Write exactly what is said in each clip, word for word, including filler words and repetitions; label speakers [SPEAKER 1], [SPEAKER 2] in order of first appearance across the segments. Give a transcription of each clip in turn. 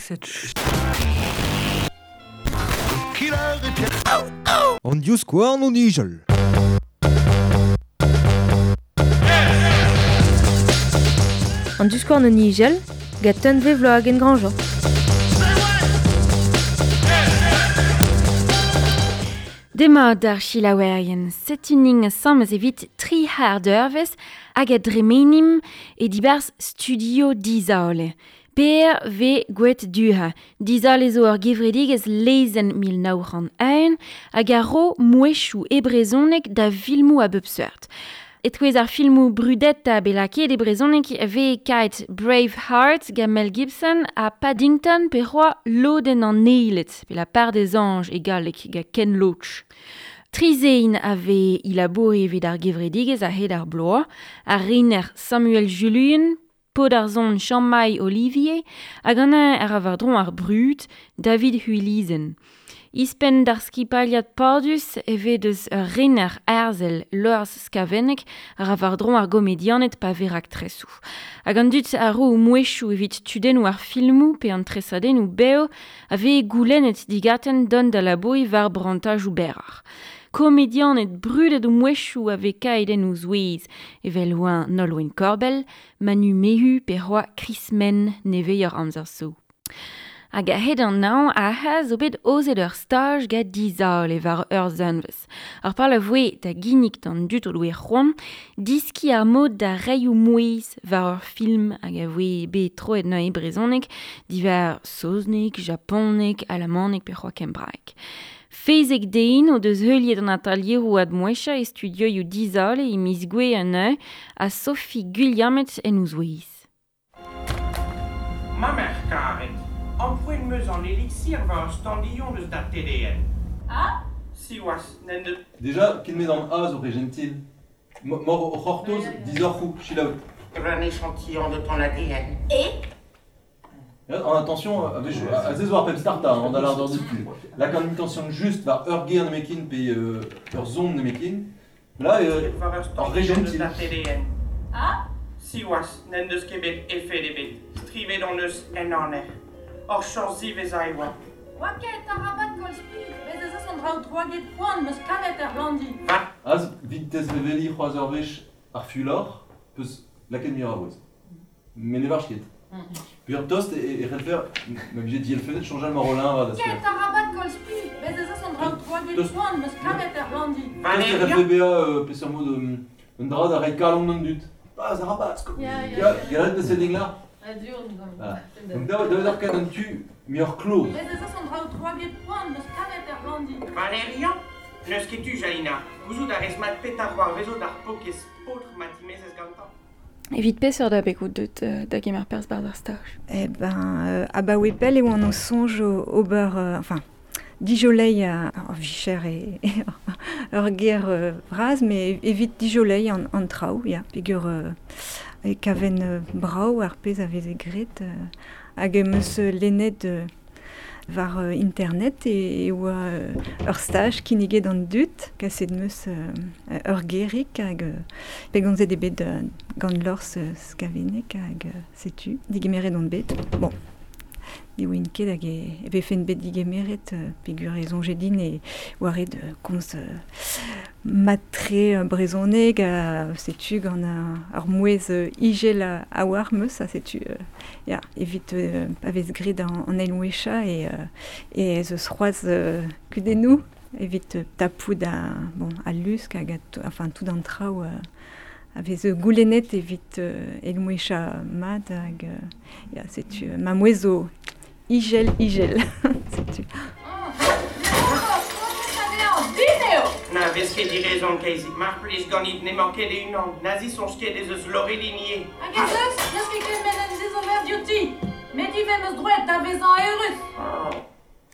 [SPEAKER 1] Cette
[SPEAKER 2] An diouzkouarn o nijal.
[SPEAKER 3] An diouzkouarn o nijal, gant Tunve Vloagen Grandjean.
[SPEAKER 4] Demat d'ar chilaouerien, setuning samez evit tri har d'urvez hag a dremenim e dibarz studio Dizale. Per ve gwet duha. Dizale zo ur gevredigez lezen mil nav c'hant un hag a ro mouechou e brezhoneg da filmoù a bep seurt. Etouez ar filmoù brudet a belaket e brezhoneg ve kaet Braveheart gant Mel Gibson ha Paddington pe c'hoa Lodenn an Eiled, pe la part des anges e galleg gant Ken Loach. Trizein a ve ilabouri evit ar gevredigez a-hed ar bloaz, ar rener Samuel Julien, Podarzon Jean-Maï Olivier, hag an ar avardron ar brud David Huilizen. Ispen d'ar skipaliad pardus evet eus ur rener arzel Lors Skavennek ar avardron ar gomedianet pa verak tresou. Hag an dud ar ro mouechou evit tudennou ar filmou pe an tresadennou beo a ve goulennet digaten don da labouri var brantajou berrar. Komedianet brudet o mouechou a ve kaeden ouz ouez, evel oan Nolwenn Korbell, Manu Mehu pe c'hoa Chris Men nevez ur amzer so. Hag a-hed an naon a ha zo bet ozet ur staj gant Dizale war ur zanvez. Ar par la voe da ginnig d'an dud o doe c'hoant, diski ar mod da reioù mouez war ur film hag a voe bet troet neuze brezhoneg diwar saozneg, japoneg, alamaneg pe c'hoa kembraeg. Fezek dein o deus heuliet an atalieroù ad mouecha e studioioù Dizale e miz gwe an eo ha Sophie Guilhamet en ouzouez.
[SPEAKER 5] Ma mère karet, empouen meus an elixir war ur standillon deus da T D N.
[SPEAKER 6] Ah?
[SPEAKER 5] Siwazh, n'en deus...
[SPEAKER 7] Déjà, ken met an A zo re gentil. Mor o c'hortoz, dizoc'hoù, chilaout.
[SPEAKER 5] Un échantillon de ton A D N.
[SPEAKER 6] Et?
[SPEAKER 7] En attention, a ze zo ar pep starta, an da l'ardeur du cul. Là, quand une tension juste var ur ger nemekin pe euh, ur zon nemekin, là, euh, en re gentil.
[SPEAKER 6] Ah?
[SPEAKER 5] Siwazh, n'en deus ket bet efed ebet. Strivet on eus en aner. Hor chañs ziwezhañ e oa.
[SPEAKER 6] Oa ket arabat koll spi, bez ez eus an draoù troaget poan meus kavet er landi.
[SPEAKER 7] Az, vit tez veveli c'hoaz ur wech ar fulor, peus lakaet muioc'h a vouez. Mais ne varch ket. Puis ur tost e, e c'hellfer, ma vije dielfennet chañjal mar rolin va da
[SPEAKER 6] Ket arabat koll spi, bez ez eus an draoù troaget poan meus kavet er landi.
[SPEAKER 7] Tost e c'hellfe bezañ euh, peseurt mod un dra da reiñ kalon d'an dud. Ah, arabat, sko.
[SPEAKER 6] Ya, ya,
[SPEAKER 7] ya. Galet de là.
[SPEAKER 6] Voilà.
[SPEAKER 7] Donc da ur ket an tu muioc'h kloz.
[SPEAKER 6] Bez ez eus an draoù troaget poan meus kavet er landi.
[SPEAKER 5] Valerian, n'eus ket tu, Jalina. Gouzout a rez mat petar war vezo d'ar pokez paotr ma timezez gantañ.
[SPEAKER 8] Evit peseurt da begout deut da gemer perzh barzh ar staj?
[SPEAKER 9] Eh ben, euh, abaoe pell e oan o soñj ober, euh, enfin, dijolei a ur vicher e, e ur ger euh, vras, mais evit dijolei an, an traoù, ya, peogwir euh, e kaven euh, brav ar pezh a veze graet, euh, hag em eus lennet euh, war euh, internet e, e oa euh, ur staj kinniget an dud, kaset meus euh, ur gerig hag euh, pegonzet eo bet euh, gant Lors euh, Skavennek hag euh, setu, digemeret on bet. Bon, diwin ket hag e, e vefen bet digemeret euh, peogwir e soñje din e oa ret euh, komz euh, matre euh, brezhoneg ha setu gant ar mouez euh, igel a, a war meus ha setu euh, ya, evit euh, pa vez graet an, an eil mouecha e, euh, e ez eus c'hoazh euh, kudennoù evit euh, tapout a, bon, a lusk hag a, enfin tout an traoù euh, a vez goulennet evit euh, eil mouecha mat hag euh, ya, setu euh, ma mouez zo igel igel setu.
[SPEAKER 5] Na vez ket direzon keizik, mar plij ganit n'emañ ket e-unan, nazi soñj ket ez eus Lorelinier.
[SPEAKER 6] Hag ez eus, n'eus ket ket en dezover diouti, met ivez meus droet da vezañ eurus.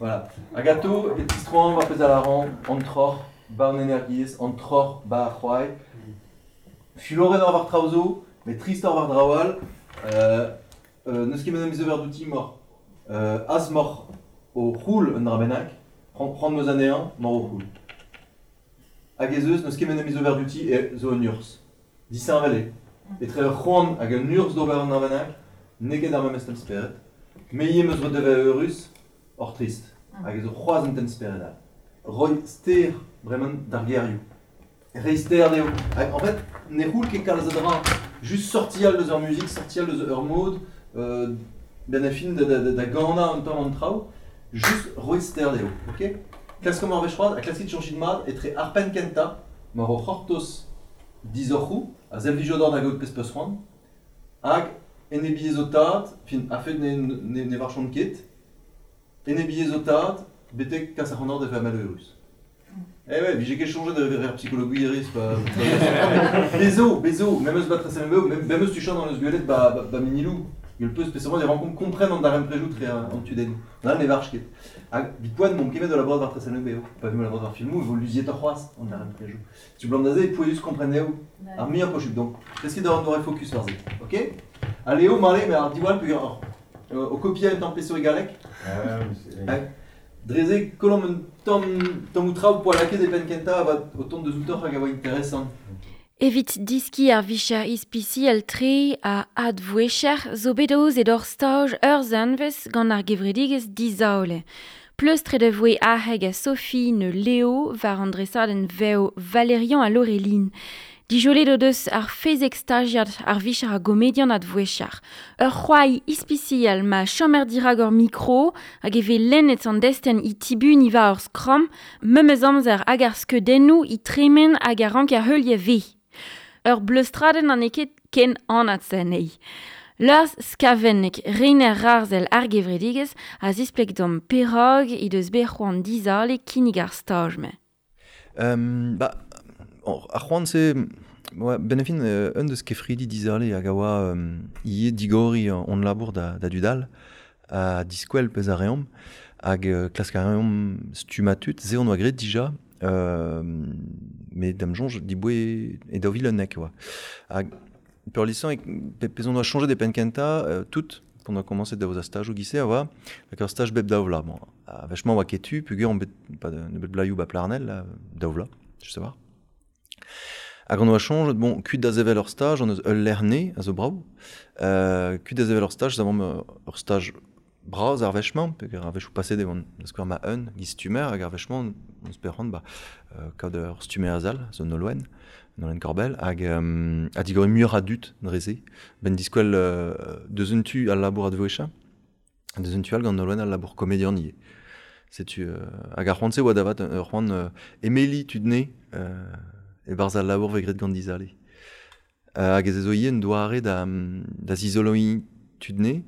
[SPEAKER 7] Voilà. Agato, e tistroan war pezh a laran, an troc'h, ba an energiezh, an troc'h, ba ar c'hoai. Fuloret ar war traoù zo, met trist ar war draoù all, euh, euh, n'eus ket men am eus douti mor. Euh, az mor o c'houl un dra bennak, c'hoant meus anezhañ, mor o c'houl. Hag ez eus, n'eus ket men am eus ober douti e zo un urzh. Disheñvel eo. Etre ur c'hoant hag un urzh d'ober un dra bennak, n'eo ket ar memes temz spered. Me ivez meus roet da vezañ eurus, oc'h trist. Hag ez zo c'hoazh un temz-spered all. Roiñ ster bremañ d'ar gerioù. Reiñ ster dezho. Hag en fait, ne c'houl ket kalz a dra. Just sortial deus ur muzik, sortial deus ur mod, euh, ben a fin da, da, da, da ganañ un tamm an traoù, just roiñ ster dezho, ok? Klaskomp ar wech c'hoazh, ha klaskit soñjit mat etre ar penn kentañ, mar o c'hortoz dizoc'hoù, a servijo d'or da gaout pezh peus c'hoant, hag enebiezh o tad, fin, a-fet ne, ne, ne varchont ket, enebiezh o tad, betek kas ar c'hant da vezañ malheurus. Eh ouais, vije ket soñjet da vezañ psychologiezh, pa... Bezo, bezo, même eus bat tresen même même eus tuchant dans eus gwelet ba, ba, ba minilou. Gel peus spesialement des rencontres comprennent an darem prejout tre an tudenn. An ne varch ket. Hag vit poan mont kemet de la war tresen beo. Pa vu la war filmou, vo luziet ar c'hoazh an darem prejout. Tu blant d'aze, pouezus kompren eo. Ar muiañ posubl donc. Qu'est-ce qui d'or n'aurait focus war ze. OK? Allez, marle, mais ar diwall peogwir ar o kopia un tamm peso e galleg. Ah, Dreze kolom un tamm tamm ou traoù poa lakaet e penn kentañ avat o tont deus outoc'h hag a oa interesant.
[SPEAKER 4] Evit diski ar vicher ispisial tre a advouecher zo bet aozet ur staj ur zanvez gant ar gevredigezh Dizaole. Pleustret e voe Aheg ha Sophie ne Léo war an dresadenn vev Valérian ha Laureline. Dijolet o deus ar fezek stagiad ar vicher a gomedian advouecher. Ur c'hoari ispisial ma chomer dirag ur mikro hag e vez lennet an destenn i tibun i va ur skramm, memes amzer hag ar skeudennoù i tremen hag ar rank ar heulier ve. Ur bleustradenn an eo ket ken anat se anezhi. Lars Skavennek, rener Rarzel ar gevredigezh a zispleg d'am perag he deus bet c'hoant Dizale kinnig ar staj-mañ.
[SPEAKER 7] Um, ba, ar c'hoant se, ouais, ben a fin, euh, un deus kefridi Dizale hag a oa um, ivez digoriñ hon labour da, da dudal, a diskwel pezh a reomp, hag euh, klask a reomp stummañ tud, se on oa graet dija, euh, met da'm soñj diboe e daou vil unnek oa. Hag peurlisañ e pezh on oa soñjet e penn kentañ, euh, tout, on a commencé da voza stajoù gise a oa, hag ur staj bep daou vloaz. Bon, a vechement oa ket tu, peogwir on bet pas de nebeut blaioù ba Plarnel, là, daou vloaz, je sais pas. Hag on oa soñjet, bon, kuit da sevel ur staj, on eus ul lec'h a zo brav, euh, kuit da sevel ur staj, zavomp ur staj bras ar wech-mañ, peogwir ar wechoù paset e oan da skouer ma un giz stummer, hag ar wech-mañ, on se ba, euh, kaout ur stummer azal, zo Nolwenn, Nolwenn Corbel, hag um, a digoriñ muioc'h a dud dre-se, ben diskwel euh, deus un tu al labour advouechañ, deus un tu all gant Nolwenn al labour komedian ivez. Setu, euh, hag ar c'hoant-se oa davat ur c'hoant euh, emeli tudne euh, e barzh al labour vez graet gant Dizale. Euh, hag ez ezo ivez un doare da, da zizoloiñ tudne,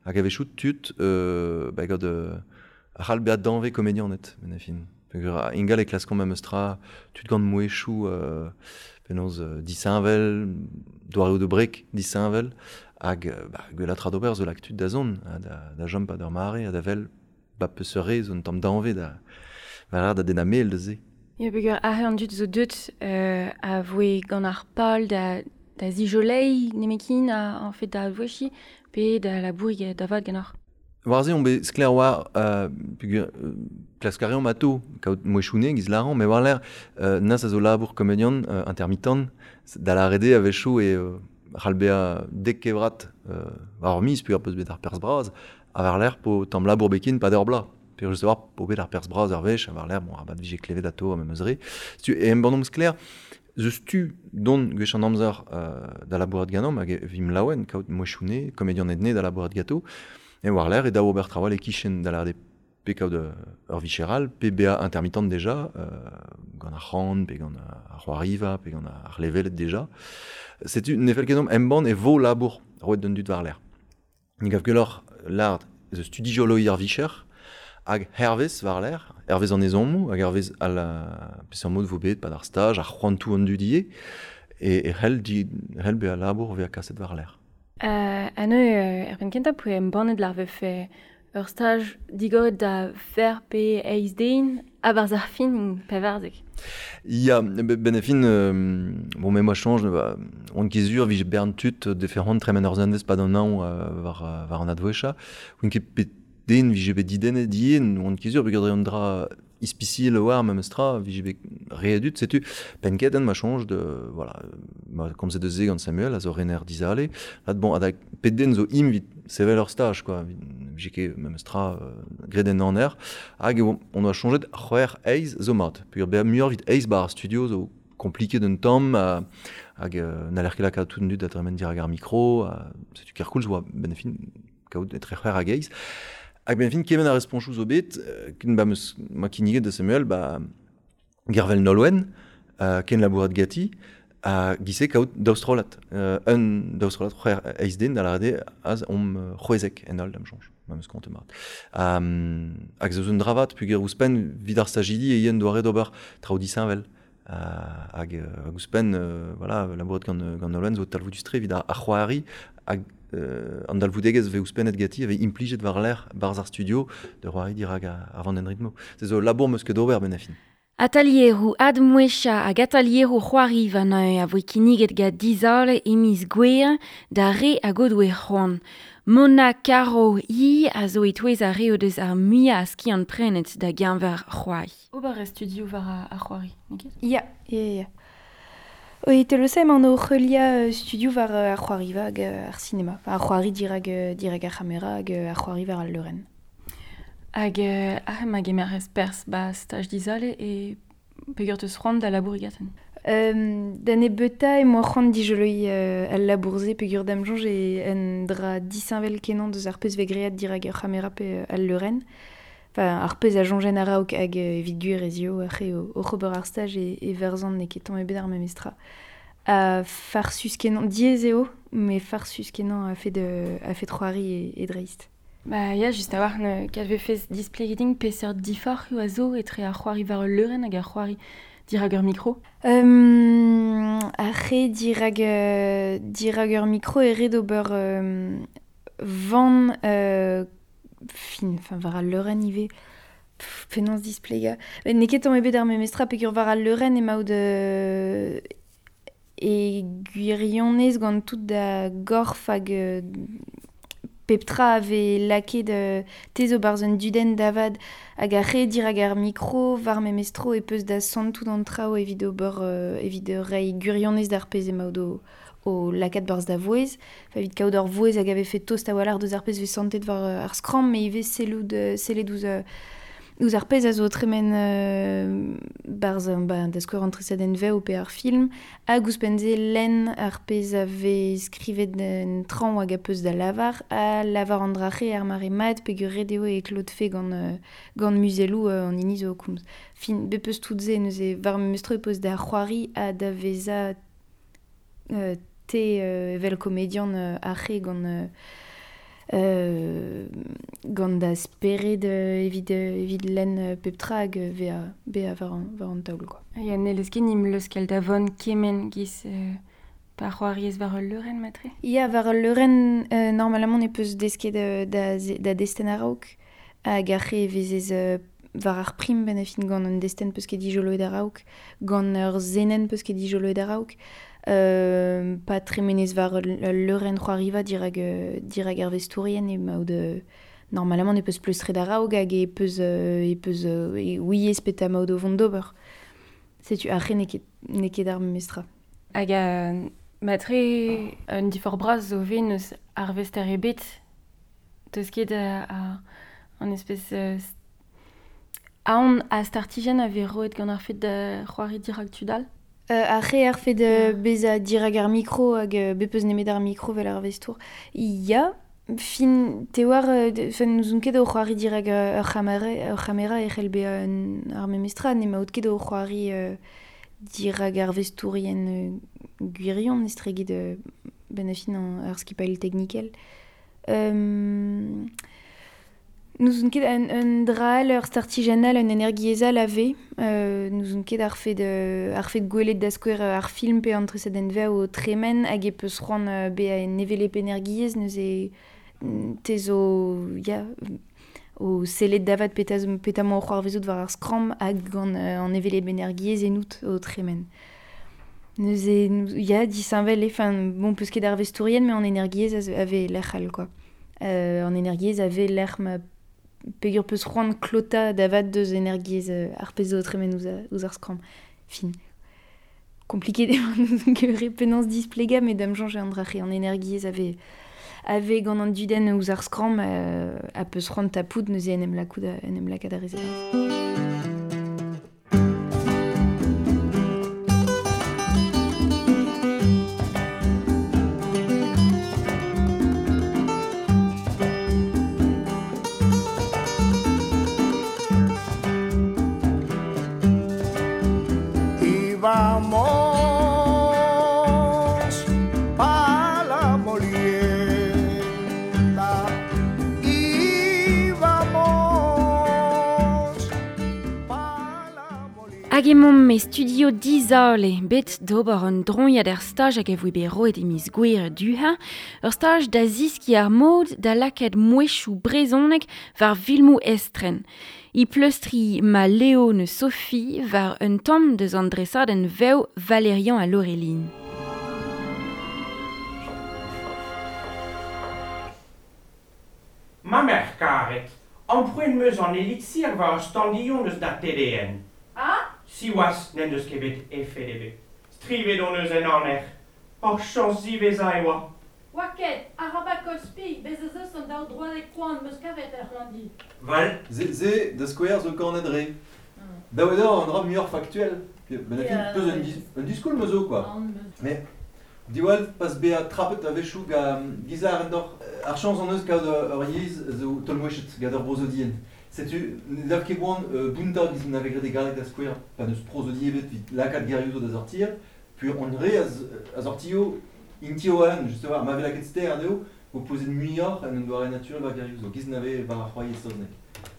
[SPEAKER 7] hag a wechoù tud euh, ba gant euh, ar c'hall bezañ danvez komedianed, ben a fin. Peogwir ingal e klaskomp memes tra tud gant mouezhioù euh, penaos euh, disheñvel, doareoù de brek disheñvel, hag bah, gwellañ tra d'ober zo lak tud da zont, ha da, da jom pa d'ur mare, ha da vel ba peseurt re zo un tamm danvez da, da, da dennañ mel da se.
[SPEAKER 8] Ya peogwir aze an dud zo deut euh, a voe gant ar pal da, da zijolei nemekin a, en fait da advouechiñ, pe da labourig da vat ganeoc'h.
[SPEAKER 7] War se on bet sklaer war, euh, peogwir euh, klask a reomp atao, kaout mouezhioù giz laran, met war l'air, euh, nas a zo labour komedian euh, intermittent, da lâret eo a-wechoù e euh, c'hall bezañ dek kevrat euh, war ur miz, peogwir peus bet ar perzh bras, ha war l'air po tamm labour bekin pa d'ur bloaz. Peogwir just war po bet ar perzh bras ur wech, ha war l'air, bon, arabat vije klevet atao ha memes re. Setu, e embannomp sklaer, zeus tu don gwech an amzer euh, da labourat ganeomp, hag e vim laouen, kaout mouezhioù komedian edne da labourat gato, e war l'air e daou ober trawal e kichen da lâret pe kaout ur vicheral, pe bezañ intermittent deja, euh, gant ar c'han, pe gant ar c'hoariva, pe gant ar levelet deja. Setu ne fell ket deomp embann e vo labour roet d'un dud war l'air. Ni gav gwelloc'h lâret eus tu dijoloiñ ar vicher, hag hervez war l'air, hervez an ezhommoù, hag hervez al peseurt mod vo bet pad ar staj, ar c'hoantoù an dud ivez, e, e c'hell di, c'hell bezañ labour vezañ kaset war l'air.
[SPEAKER 8] Euh, ha neuze, euh, er penn kentañ poe embannet lar vefe ur staj digoret da fer pe eizh den a-barzh ar fin pevarzek.
[SPEAKER 7] Ya, ben a fin, euh, bon, mais moi change, ba, on ket sur vije bern tud defe c'hoant tremen ur zanvez pad an anv euh, war, war an advouechañ, on ket pet den vije bet didennet ivez, on ket sur peogwir dre an dra ispisial war memes tra, vije bet re a dud, setu penn kentañ ma soñj de, voilà, ma komzet deus se gant Samuel, a zo rener Dizale, lad bon, adak pet den zo im vit sevel ur staj, quoi, vije ket memestra euh, graet en aner, hag e on a changed c'hwec'h eiz zo mat. Peogwir bezañ muioc'h evit eiz bar studio zo compliqué d'un tamm, euh, hag euh, n'haller ket lakaat tout an dud da tremen dirak ar mikro, euh, setu kerkoulz oa ben fin kaout etre c'hwec'h hag eiz. Hag ben fin kement a responchoù zo bet, euh, ken ba meus ma kinniget da Samuel, ba Gervel Nolwenn, euh, ken labourat gati, a gise kaout daou strollad. Euh, un daou strollad c'hwec'h eiz den da lâret eo az omp c'hwezek en holl da'm soñj, ma meus kontet mat. Um, hag zo un dravat peogwir ouzhpenn evit ar stajidi e yen doare d'ober traoù disheñvel. Uh, hag, hag ouzhpenn, euh, voilà, labourat gant, gant Nolwenn zo talvoudus-tre evit ar, ar c'hoari hag euh, an dalvoudegezh vez ouzhpennet gati vez implijet war-lerc'h barzh ar studio de c'hoari dirak ar vandenn ritmo. Se zo labour meus ket d'ober ben a fin.
[SPEAKER 4] Atalieroù admouecha hag atalieroù c'hoari va a voe kinniget gant Dizale e miz Gouere da re hag o doe c'hoant. Mona Caro i a zo e-touez ar re o deus ar muiañ a skiant prenet da geñver c'hoari.
[SPEAKER 8] Ober e studio war ar c'hoari, n'eo ket?
[SPEAKER 1] Ya, ya, ya. Oi, telosa emañ o heuliañ studio war ar c'hoari hag ar sinema. Ar c'hoari dirak, dirak ar c'hamera hag ar c'hoari war al leurenn.
[SPEAKER 8] Hag euh, ah, ma gemer perzh ba staj Dizale e peogwir teus c'hoant da labourat gaten.
[SPEAKER 1] Euh, da nebeutañ emañ c'hoant dijoloiñ euh, al labour-se peogwir da'm soñj e un dra disheñvel kenañ deus ar pezh vez graet dirak ur c'hamera pe al leurenn. Enfin, ar pezh a soñjen a-raok hag evit gwir ez eo ar re oc'h ober ar staj e, e verzan n'eo ket tamm ebet ar memestra. Ha farsus kenañ, diaes eo, met farsus kenañ a-fet a-fet c'hoari e, e dreist.
[SPEAKER 8] Ba ya, just a-walc'h ne kat vefez displeget din peseurt diforc'h a zo etre ar c'hoari war ul leurenn hag ar c'hoari dirak ur mikro.
[SPEAKER 1] Um, ar re dirak, euh, dirak ur mikro e ret ober euh, van euh, fin, enfin war al leurenn ivez. Pff, penaos displegañ. Met n'eo ket tamm ebet ar memestra peogwir war al leurenn emaout euh, e gwirionez gant tout da gorf hag euh, pep tra a vez lakaet euh, te zo barzh un dudenn davad hag ar re dirak ar mikro war memestro e peus da santout an traoù evit ober euh, evit reiñ gwirionez d'ar pezh emaout o, o lakaat barzh da vouezh. Enfin, evit kaout ur vouezh hag a vefe tost a-walc'h deus ar pezh vez santet war ar skramm, met ivez sellout sellet ouzh euh, ouzh ar pezh a zo tremen euh, barzh ba, da skouer an tresadenn vev pe ar film, hag ouzhpenn-se lenn ar pezh a vez skrivet en traoñ hag a peus da lavar, ha lavar an dra-c'he ar mare mat peogwir ret eo e klotfe gant, euh, gant muzelloù euh, an hini zo o komz. Fin, bep eus tout se neuze war memestra e peus da c'hoari ha da vezañ euh, te euh, evel komedian euh, ar re gant euh, Euh, gant da spered euh, evit, euh, evit lenn euh, pep tra hag bezañ bezañ war an, war an taol, quoi.
[SPEAKER 8] Ya n'hellez ket nim leuskel da vont kement giz euh, pa c'hoariez war ul leurenn matre?
[SPEAKER 1] Ya, war ul leurenn, euh, normalement ne peus desket euh, da, da destenn a-raok hag ar re e vezez euh, war ar prim ben a fin gant un destenn peus ket dijoloet a-raok, gant ur zenenn peus ket dijoloet a-raok. Euh, pa tremenez war ul leurenn c'hoariva dirak, dirak ar vestourien emaout euh, normalement ne peus pleustret a-raok hag e peus, euh, e peus euh, e ouiez petra emaout o vont d'ober. Setu ar re n'eo ket, n'eo ket ar memestra.
[SPEAKER 8] Hag a matre un diforc'h bras zo ve n'eus arvester ebet teus ket a, a an espèce euh, aon a startijenn a vez roet gant ar fet da c'hoari dirak tud all?
[SPEAKER 1] Euh, ar re ar fet euh, bezañ dirak ar mikro hag euh, bep eus nemet ar mikro vel ar vestour. Ya, fin te war, euh, n'ouzon ket o c'hoari dirak ur c'hamera, ur c'hamera e c'hell bezañ ar memestra, n'emaout ket o c'hoari euh, dirak ar vestourien euh, gwirion estreget euh, ben a fin an ar skipailh teknikel. Euh, N'ouzon ket un, un dra all, ur startijenn all, un energiezh all a vez. Euh, n'ouzon ket ar fet, euh, ar fet gwelet da skouer ar film pe an tresadenn vev o tremen hag e peus c'hoant euh, bezañ en hevelep energiezh neuze te zo ya, o sellet davat petra petra emañ o c'hoarvezout war ar skramm hag gant euh, an hevelep energiezh ennout o tremen. Neuze, ya, disheñvel eo, enfin, bon, peus ket ar vestourien, met an energiezh a vez lec'h all, quoi. Euh, an energiezh a vez lec'h ma peogwir peus c'hoant klotañ davat deus energiezh ar pezh zo tremen ouzh, ouzh ar skramm. Fin. Compliqué n'ouzon ket re penaos displegañ, met da'm soñj an dra-c'he an energiezh a vez, a ve gant an dudenn ouzh ar skramm euh, a peus c'hoant tapout neuze en em lakaat en em lakaat ar rezerz.
[SPEAKER 10] Vamos pa la molienda y vamos pa la molienda.
[SPEAKER 4] Hag emaomp e studio Dizale, bet d'ober un droiad er staj hag e voe bet roet e miz Gouere duha, ur staj da ziski ar mod da lakaat mouezhioù brezhoneg war filmoù estren. I pleustri ma Léo ne Sophie war un tamm deus an dresadenn vev Valérian ha Laureline.
[SPEAKER 5] Ma merc'h karet, ampoent meus an elixir war ur standilhon eus da T D N.
[SPEAKER 6] Ah?
[SPEAKER 5] Siwazh n'en deus ket bet efed ebet. Strivet hon eus en aner. Hor chañs ziwezhañ e oa.
[SPEAKER 6] Oa ket, arabat koll spi, bez ez eus an daou droadeg koant meus kavet er c'hlandi.
[SPEAKER 7] Val. Ze, ze da skouer zo kanet re. Daou eo an dra muioc'h faktuel. Ben a fin peus un, dis, un diskoul me zo, quoi. Mais diwall pas bezañ trapet a-wechoù ga gizar en dor ar chañs an eus kaout ur yezh zo tolmouechet gant ur brozodien. Setu ne dav ket boan euh, bountañ giz n'ave graet e galleg da skouer pa n'eus prozodi ebet evit lakaat gerioù zo da sortir, puis on re a sortio intio an, justement, ma ve lakaet ster anezho, vo pozet muioc'h en un doare naturel war gerioù zo, giz n'ave war ar c'hoari e saozneg.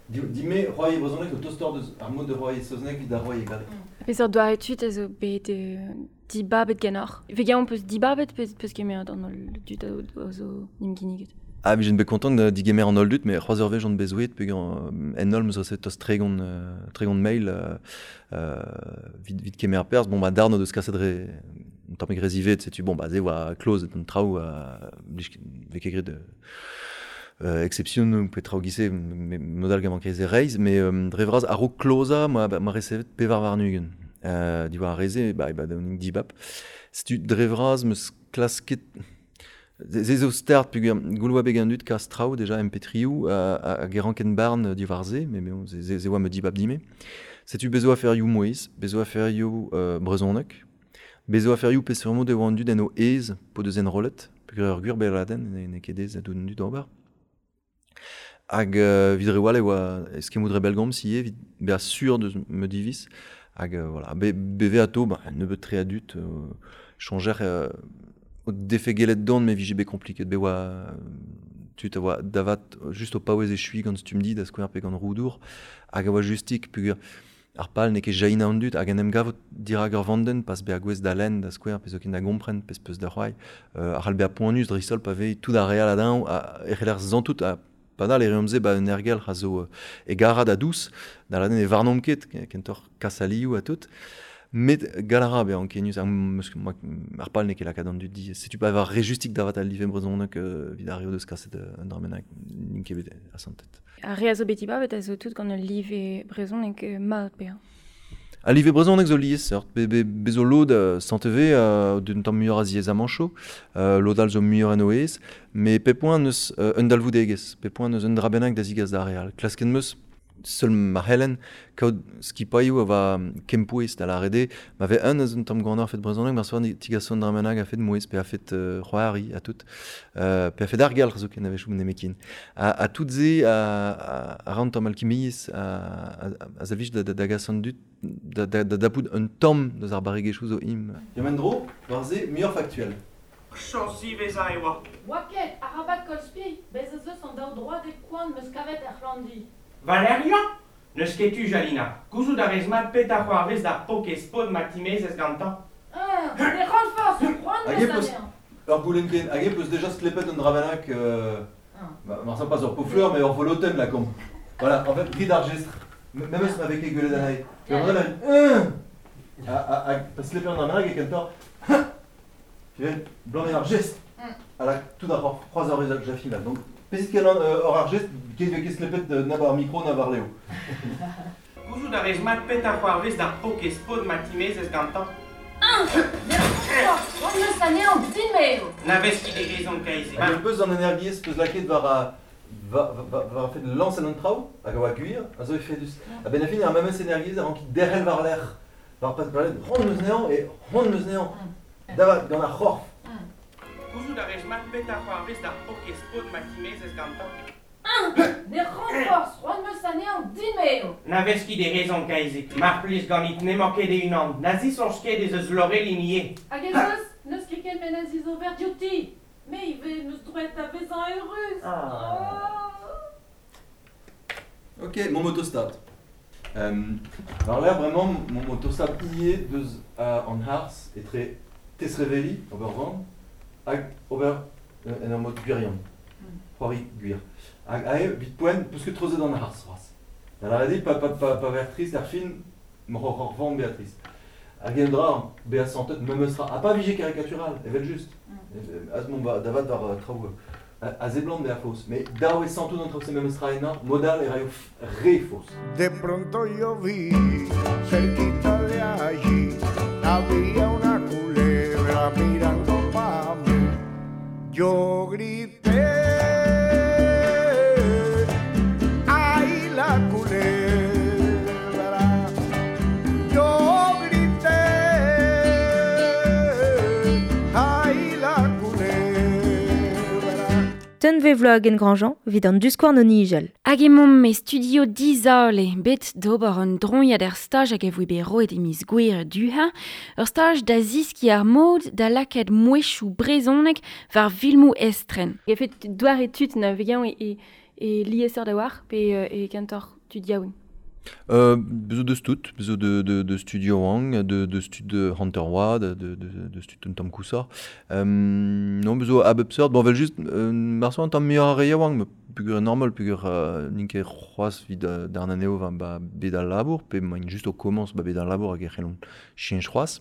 [SPEAKER 7] Dime c'hoari e brezhoneg zo tostoc'h deus ar mod de c'hoari e saozneg evit ar c'hoari e galleg.
[SPEAKER 8] Peseurt doare tud a zo bet euh, dibabet ganeoc'h. Vegañ on peus dibabet peus, peus kemeret an holl dud a zo n'em ginniget.
[SPEAKER 7] Ah, mais j'en bet content de digemer an holl dud, mais c'hoazh ur wech on bezouet, pe gant en holl meus reset tost tregont, euh, tregont mail euh, euh, vit, vit kemer perzh. Bon, ba darn o deus kaset re un tammig re zivet, setu bon, ba ze oa kloz an traoù a blij vez ket graet euh, exception pe traoù gise modal gant manket e reizh, mais euh, dre vras a-raok klozañ ma, ma resevet pevar warn-ugent. Euh, diwar ar reze, ba, ba da dibab. Setu dre vras meus klasket Ze zo start peogwir goul oa bet gant dud kas traoù déjà M P trioù hag e ranken barn diwar se, mais bon, ze, ze oa me dibab dime. Setu bezo aferioù mouezh, bezo aferioù euh, brezhoneg, bezo aferioù peseurt mod e oa an dud en o aez po deus enrollet, peogwir ur gwir beladenn ne, ne ket aes a dud d'ober. Hag euh, vid re wal e oa eskemmoù dre bellgomz ivez, evit bezañ sur deus me diviz. Hag euh, voilà, be, beve ato, ba, nebeut tre a dud, euh, changer euh, o defe gellet dont me vije bet kompliket be oa tud a oa davat just o paouez echui gant stumm-di da skouer pe gant roudour hag a oa justik peogwir ar pal n'eo ket jainañ an dud hag en em gavot dirak ur vandenn pas bezañ gouest da lenn da skouer pe zoken da gompren pezh peus da c'hoari euh, ar c'hall bezañ poanius dreist-holl pa vez tout ar re all a-dreñv e c'heller santout ha padal e reomp se ba un ergelc'h a zo e garad a dous da ladenn e varnomp ket kentoc'h kas alioù ha tout. Met galara bezañ ankenius ar, ar pal n'eo ket lakaat an dud di. Setu pa war re justik davat al live brezhoneg evit ar re o deus kaset un dra bennak n'int ket bet asantet.
[SPEAKER 8] Ar re a zo bet dibabet a zo tout gant ul live brezhoneg mat bezañ.
[SPEAKER 7] Al live brezhoneg zo liesseurt, be, be, be zo lod uh, santeve uh, d'un tamm muioc'h a ziaezamanchoù, uh, lod all zo muioc'h en o aez, mais pep poent neus uh, un dalvoudegezh, pep poent neus un dra bennak da zigas d'ar re all. Klasket meus seul ma c'hellen kaout skipailhoù a va kempouez da lâret eo, ma vez un eus un tamm gant ar fet brezhoneg, mar soa tigaso un dra bennak a fet mouezh, pe a fet euh, c'hoari ha tout, euh, pe a fet argelc'h zoken a-wechoù nemetken. Ha, ha tout se a, a, a ran tamm alkimiezh a, a, a zavij da, da, da gas an dud da, da, da dapout un tamm deus ar barregezhioù zo im. Ya men dro, war se muioc'h faktuel.
[SPEAKER 5] Chañs ziwezhañ e oa.
[SPEAKER 6] Oa ket, arabat koll spi, bez ez eus an daou droadeg koant meus kavet er c'hlandi.
[SPEAKER 5] Valérian? N'eus ket tu, Jalina. Gouzout a rez mat petra c'hoarvez d'ar pokez pod ma timezez gantañ.
[SPEAKER 6] Ah, ne ran forzh, c'hoant
[SPEAKER 7] Hag e peus ur goulenn ken, hag e peus déjà sklepet un dra bennak euh, ah. Mar pas ur pot-fleur, mais ur volotenn la komp. Voilà, en fait, grit ar jestr. Même eus ma vez ket gwelet anezhi. Pe yeah. an a a a pa sklepet un dra bennak e kentoc'h. Tu vois, blanc ar jestr. À la tout d'abord, c'hoazh ur wech jafim là. Donc Pesit ket an ur ar gest, ket ket sklepet na war micro na war Léo.
[SPEAKER 5] Gouzout a rez mat petra c'hoarvez d'ar pokez pod ma timezez gantañ.
[SPEAKER 6] Un, deux, trois, C'hoant meus anezhañ din-me eo.
[SPEAKER 5] Na vez ket e rezon kaezig.
[SPEAKER 7] Hag ur peus an energiezh peus lakaet war a war war a fet lañs an traoù hag a oa gwir a zo efedus. A-benn ar fin ar memes energiezh a rank derc'hel war-lerc'h. War pas war c'hoant meus anezhañ e c'hoant meus anezhañ. Davat gant ar c'horf.
[SPEAKER 5] Gouzout a rez mat petra c'hoarvez d'ar paourkaezh paotr ma timezez gantañ.
[SPEAKER 6] Ne ran forzh, c'hoant meus anezhañ din-me eo.
[SPEAKER 5] Na vez ket e rezon kaezig. Mar plij ganit n'emañ ket e-unan. Na zisoñj ket ez eus Laureline ivez.
[SPEAKER 6] Hag ez eus, n'eus ket kement a zizober diouti. Me ivez meus droet da vezañ eürus.
[SPEAKER 7] Ah. Ok, mon motostat. Euh, war-lerc'h bremañ mon motostat ivez deus uh, an harz etre tesreveli, ober van, hag ober euh, en ur mod gwirion. C'hoari gwir. Hag ae, vit poent, peus ket treuzet an harz c'hoazh. Da lavaret eo, pa, pa, pa, pa ver trist ar fin, m'oc'h oc'h van Beatrice. Hag en dra, bezañ santet memes tra. Ha pa vije karikatural, evel just. Mm. Az mont ba, davat war traoù a zeblant bezañ faos. Mais dav eo santout an traoù se memes tra ennañ, modal e raio re faos.
[SPEAKER 10] De pronto yo vi, cerquita de allí, había una culebra mirando pa' mí. Yo grité, ay la culebra. Yo grité, ay la culebra.
[SPEAKER 3] Tunve vloag en Grandjean, vid an diskouarn o nijal.
[SPEAKER 4] Hag emaomp e studio dizale, bet d'ober un droiad er staj hag e voe bet roet e miz Gouere duha, ur staj da ziski ar mod da lakaat mouezhioù brezhoneg war filmoù estren.
[SPEAKER 8] E fet doare tud na vegañ e, e, e liesseurt da war, pe e kentoc'h tud yaouank.
[SPEAKER 7] Euh, bezo deus tout, bezo de, de, de studio wang, de, de stud Hunter Wad, de, de, de stud un tamm kousor. Euh, non, bezo a bep seurt, bon, vel just, euh, marso un tamm muioc'h ar re yaouank, me pugur normal, pugur euh, n'int ket c'hoazh vid euh, d'ar anezho va ba bet al labour, pe maint just o komañs ba bet al labour hag e c'hellont cheñch c'hoazh.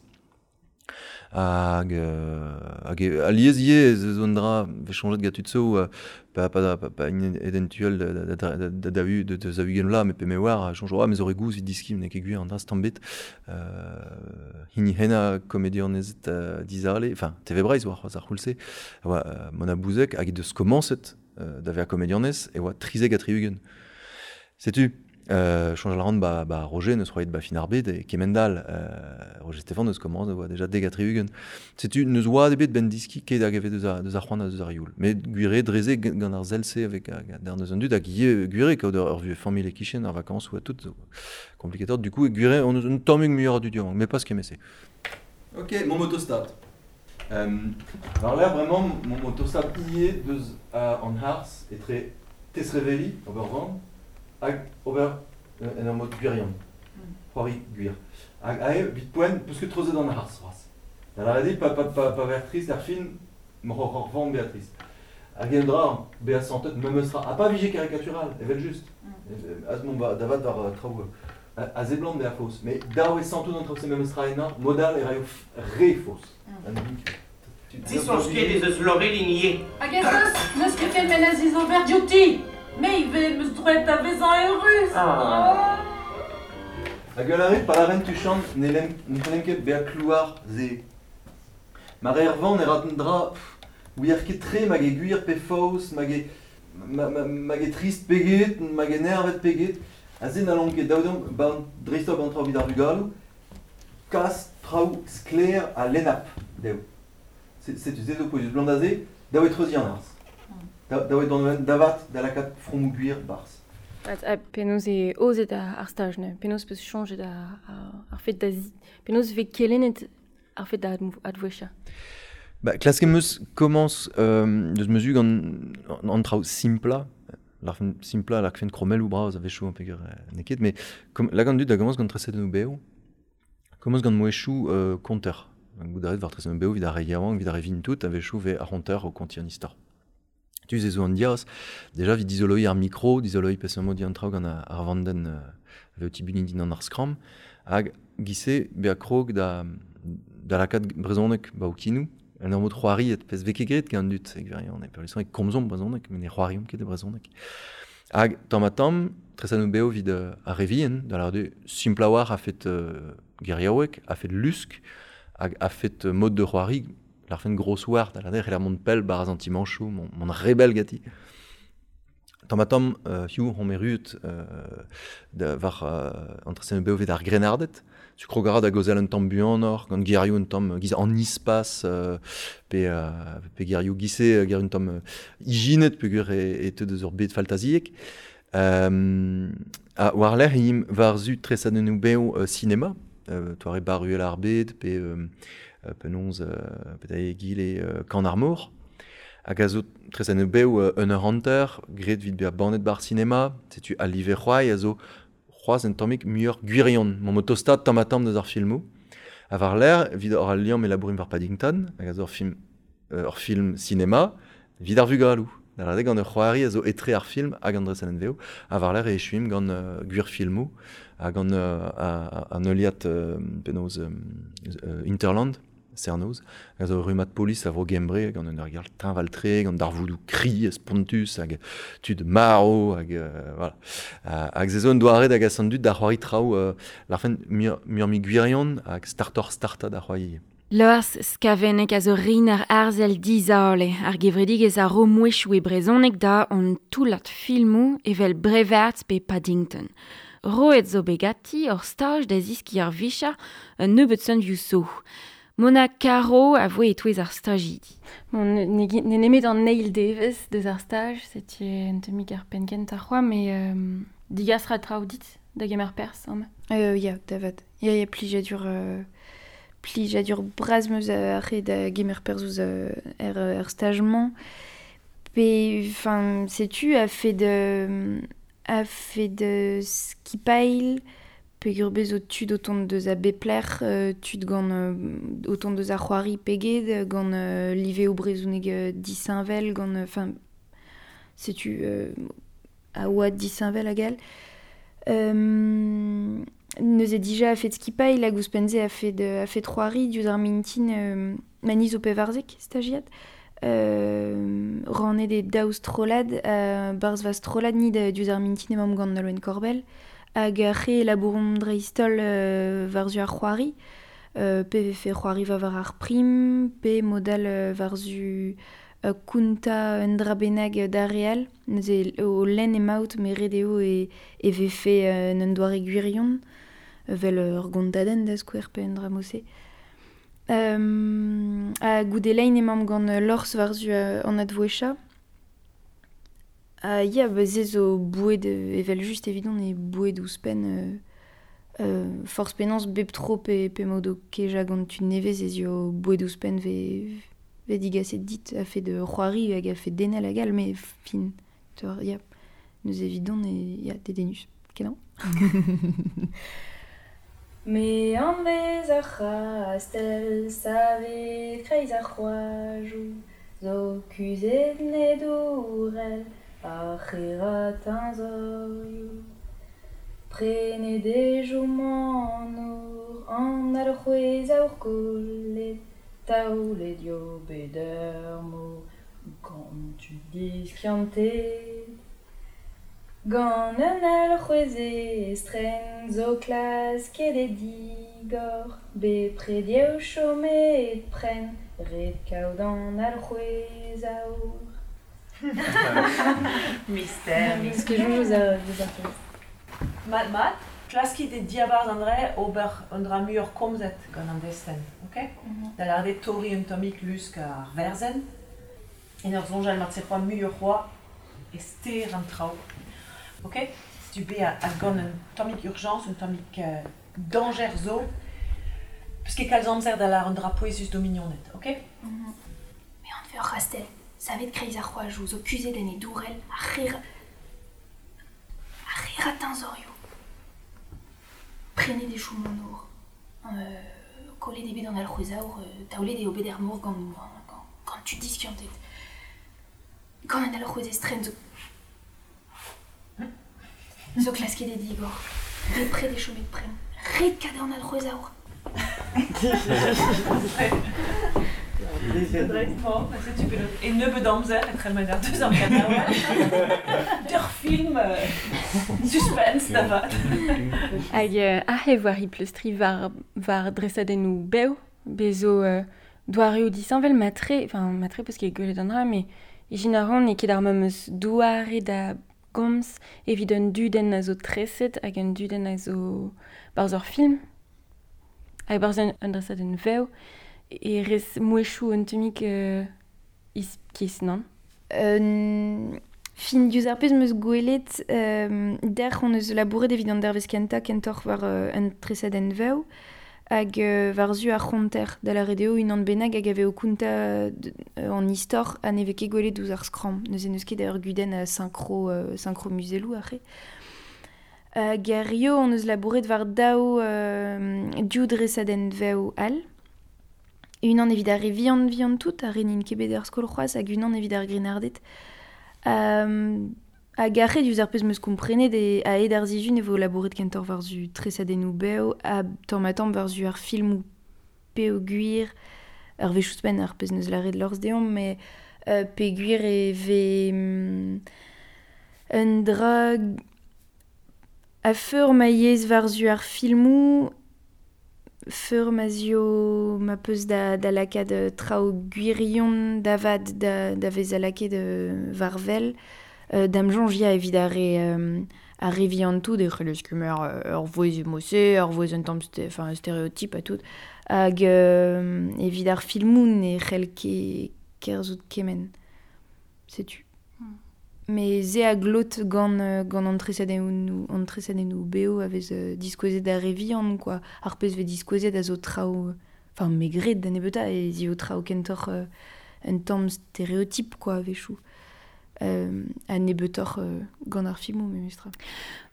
[SPEAKER 7] Hag, euh, hag e, alies ivez ez eus un dra vez soñjet gant tud zo, euh, pa, pa, pa, pa int edentuel da, da, da, da, da, da, da, da zaou-ugent vloaz, met pe me oar, soñj, ah, me zo re gouzh evit diski, n'eo ket gwir an dra tamm bet. Euh, hini henañ komedianezed euh, dizale, enfin, T V Breizh oa c'hoazh ar c'houlz-se, a oa euh, Mona Bouzek hag he deus komañset euh, da vezañ komedianez, e oa trizek ha tri-ugent. Setu, Euh, soñj a ran ba, ba Roger neus c'hoariet ba fin ar bed e kemend-all. Euh, Roger Stéphane neus komañs oa déjà dek ha tri-ugent. Setu neus oa ebet ben diski ket hag evet deus ar, deus ar c'hoant ha deus ar youl. Met gwir eo dreze gant ar sell-se avec ar neus an dud hag ivez gwir eo kaout ur vuhez familh e kichen ar vakañsoù ha tout zo komplikator. Du coup, gwir eo on eus un tammig muioc'h a dud yaouank, mais pas kement-se. Ok, mon motostat. Euh, war-lerc'h bremañ mon motostat ivez deus uh, an harz etre tesreveli, ober van, hag ober euh, en ur mod gwirion. C'hoari gwir. Hag ae, vit poent, peus ket treuzet an harz c'hoazh. Da lavaret eo, pa, pa, pa, pa ver trist ar fin, m'oc'h oc'h van Beatrice. Hag en dra, bezañ santet memes tra. Ha pa vije karikatural, evel just. Mm. Az mont ba, davat war uh, traoù uh, a zeblant bezañ faos. Mais dav eo santout an traoù se memes tra ennañ, modal e raio re faos. Mm.
[SPEAKER 5] Zisoñj ket ez eus Laureline ivez.
[SPEAKER 6] Hag ez eus, n'eus ket kement a zizober diouti. Me ivez meus droet da vezañ eürus.
[SPEAKER 5] Ah.
[SPEAKER 7] Hag ul arre, pa laren tuchant, ne lem, ne c'hellem ket bezañ klouar ze. Ma re ar van e rat un dra, pff, ouier ket tre mag e gwir pe faos, mag e, ma, ma, mag e trist peget, mag e nervet peget. A ze n'allomp ket daou deomp, ban, dreist-holl ban traoù evit ar vugaloù, kas traoù sklaer ha lennap dezho. Setu se zo pouezus blant aze, daou e treuziñ an arz. Da, da oe davat da lakaat fromoù gwir barzh.
[SPEAKER 8] A, a penaos e ozet ar, ar staj, ne? Penaos peus chañjet ar, ar, ar fet da zi... Penaos vez kelennet ar fet da advouecha?
[SPEAKER 7] Ba, klask em eus komañs euh, deus mezu gant an traoù simpla, l'arfen simpla, l'arfen kromelloù bras a-wechoù an peger n'eo ket, mais kom, lak an dud da gomañs gant tresadennoù bev, komañs gant mouezhioù euh, konter. Goût d'arrêt war tresadennoù bev evit ar re yaouank, evit ar re vin tout, a-wechoù vez ar c'honter o kontiñ an istor. Tu ze zo an diaz, déjà vid dizoloi ar micro, dizoloi peseurt di an traoù gant ar vandenn euh, ave o tibuniñ din an ar skramm, hag gise bezañ krog da, da lakaat brezhoneg ba o kinou, en ur mod c'hoariet, pezh vez ket graet gant an dud, e gwirion, e peurliesañ e komzomp brezhoneg, met ne c'hoariomp ket e brezhoneg. Hag tamm ha tamm, tresadennoù bev evit euh, ar re vihan, da lavaret eo simpl a-walc'h a fet euh, geriaoueg, a fet lusk, hag a fet euh, mod de c'hoari, L'arfen gros war, da l'arder, c'heller mont pell baraz an timanchou, mon, mon rebel gati. Tamm ha tamm, euh, hiu hon erruet euh, da, war euh, an tresadennoù bev evit ar grennarded. Tu krogara da gaozeal un tamm buanoc'h, gant gerioù un tamm giz an ispas, euh, pe, euh, pe gerioù gise, gerioù un tamm euh, ijinet peogwir e, e teu deus ur bed faltaziek. Euh, a war-lerc'h e imp war-zu tresadennoù bev euh, sinema, euh, toare Baruel ar bed, pe euh, penaos euh, pe da egile euh, Kan ar mor. Hag a zo tresadennoù bev euh, un eur hanter, graet evit bezañ bannet bar sinema, setu al live c'hoari a zo c'hoazh un tammig muioc'h gwirion, mont o tostaat tamm ha tamm deus ar filmoù. Ha war-lerc'h, evit hor al liamm e labourimp war Paddington, hag a zo ur film, euh, ur film sinema, evit ar vugaloù. Da lâret gant ur c'hoari a zo etre ar film hag an dresadenn vev, ha war-lerc'h e echuimp gant euh, gwir filmoù, ha gant euh, an heuliad euh, penaos euh, euh, Hinterland, Sernoz, hag a zo rummad polis a vro Gembre, gant un aergelc'h teñval-tre, gant darvoudoù kri, spontus, hag tud marv, hag euh, voilà. Hag se zo un doare da gas an dud da c'hoari traoù euh, l'arfen muioc'h-mui gwirion hag startoc'h starta da c'hoari.
[SPEAKER 4] Lors Skaveneg a zo rener arzel dizale, ar gevredigezh a ro mouezhioù e brezhoneg da an toullad filmoù evel Brevard pe Paddington. Roet zo bet ganti ur staj da zeskiñ ar vicher un nebeud sonioù zo. Mona Caro a voe e-touez ar stajidi.
[SPEAKER 8] Bon, ne, ne, ne nemet an eil devezh deus ar staj, setu un tammig ar penn kentañ c'hoazh, met euh, digas ra traoù dit da gemer perzh, amañ.
[SPEAKER 1] Euh, ya, da vat. Ya, ya, plijadur... Euh... plijadur bras meus ar re da gemer perzh ouzh euh, er, er staj-mañ. Pe, enfin, setu, a fait de, a fait de skipail, peogwir bez zo tud o tont deus a bep lec'h, euh, tud gant euh, o tont deus ar c'hoari peged, gant euh, live o brezhoneg euh, disheñvel, gant, enfin, setu, euh, a oad disheñvel hag all. Euh, neuze dija a fet skipail hag ouzhpenn-se a fet, a fet c'hoari diouzh ar mintin euh, maniz o pevarzek, stagiad. Euh, rannet e daou strollad, euh, barzh va strollad ni da diouzh ar mintin emaomp gant Nolwenn Korbell, hag ar re labouromp dreist-holl euh, war-zu ar c'hoari, euh, pe vefe c'hoari va war ar prim, pe modal euh, war-zu euh, kounta un dra bennak da real, neuze o lenn emaout me ret eo e, e vefe euh, un doare gwirion, vel ur gontadenn da skouer pe un dra mod-se. Euh, ha goude lein emaomp gant Lors war-zu euh, an advouecha. Ha ya, ba se zo boued evel just evidon e boued ouzhpenn euh, euh, forzh penaos bep tro pe, pe mod o kejañ gant tud nevez ez eo boued ouzhpenn ve, ve digaset dit a fait de c'hoari hag a fait denel hag all, met fin, tor, ya, neuze evidon e ya, dedennus. Kenañ. Me an vez ar c'hastell savet kreiz ar c'hoajoù, zo kuzhet ne dourel ar c'herañ teñzorioù. Prenet e chom an nor, an alc'hwez aour kollet, taolet eo bet ur mor, gant tud diskiantet. Gant un alc'hwez estren zo klasket e digor, bepred eo chomet prenn, ret kaout an alc'hwez aour.
[SPEAKER 6] Mystère,
[SPEAKER 1] Ce que je joue aux deus ar fest.
[SPEAKER 6] Mat, mat, klaskit e diabarzh an dre ober un dra muioc'h komzet gant an destenn, ok?
[SPEAKER 1] Mm-hmm.
[SPEAKER 6] Da lâret eo torriñ un tammig lusk ar werzenn, en ur soñjal marteze c'hoazh muioc'h c'hoazh e ster an traoù. Ok? Setu bet a, a gant un tammig urgence, un tammig euh, dañjer zo, peus ket kalz amzer da lâret un dra pouezus d'ho mignoned, ok?
[SPEAKER 1] Mm-hmm. Me an ur c'hastell, savet kreiz ar c'hoajoù, zo kuzhet en e dourel, ar c'herañ ar c'herañ teñzorioù. Prenet e chom an nor, euh, kollet eo bet an alc'hwez aour, euh, taolet eo bet er mor gant, gant, gant tud diskiantet. Gant an alc'hwez estren zo... zo klasket e digor, bepred e chomet prenn, ret kaout an alc'hwez aour.
[SPEAKER 6] Setu bet e nebeud amzer etre mener deus ar ganaouenn. Ur film euh, suspense da vat.
[SPEAKER 8] Hag euh, ahe war hi pleustri war, war dresadennoù bev, bez zo euh, Doareo disheñvel matre, enfin matre peus ket gwelet an dra, mais ijin a ran e ket ar memes doare da gomz evit un dudenn a zo treset hag un dudenn a zo barzh ur film. Hag barzh un, un dresadenn vev e rez mouezhioù un tammig euh, iskis, non?
[SPEAKER 1] Euh, fin diouzh ar pezh 'm eus gwelet euh, dec'h on eus labouret evit an dervezh kentañ kentoc'h war euh, un tresadenn vev hag euh, war-zu ar c'honter da lâret eo unan bennak hag a vez o kontañ euh, an istor ha ne vez ket gwelet ouzh ar skramm. Neuze n'eus ket ur gudenn a synchro, euh, synchro muzelloù aze. Hag ar rio on eus labouret war daou euh, div dresadenn vev all. Unan evit ar re vihan vihan tout, ar re n'int ket bet er skol c'hoazh, hag unan evit ar grennarded. Um, hag ar re diouzh ar pezh 'm eus komprenet e a-hed ar sizhun e vo labouret kentoc'h war-zu tresadennoù bev ha tamm-ha-tamm war-zu ar filmoù peogwir ur wech ouzhpenn ar pezh 'neus lâret Lors deomp, mais euh, peogwir e vez mm, un dra a-feur ma yezh war-zu ar filmoù feur ma zio ma peus da, da lakaat euh, traoù gwirion da vat da, da vez a lakaet euh, war wel euh, da'm soñj ya evit ar re euh, ar re vihan tout e c'hellez kemer euh, ur vouezh emose, ur vouezh un tamm sté- enfin stéréotype ha tout hag euh, evit ar filmoù ne c'hell ket kerzhout kement. Setu. Mais se a glot gant, euh, gant an tresadennoù, an tresadennoù bev a vez euh, diskouezet ar re vihan, quoi. Ar pezh vez diskouezet a zo traoù, enfin, me gred da nebeutañ e zio traoù kentoc'h euh, un tamm stéréotype, quoi, a-wechoù. Euh, a nebeutoc'h euh, gant ar filmoù, memestra.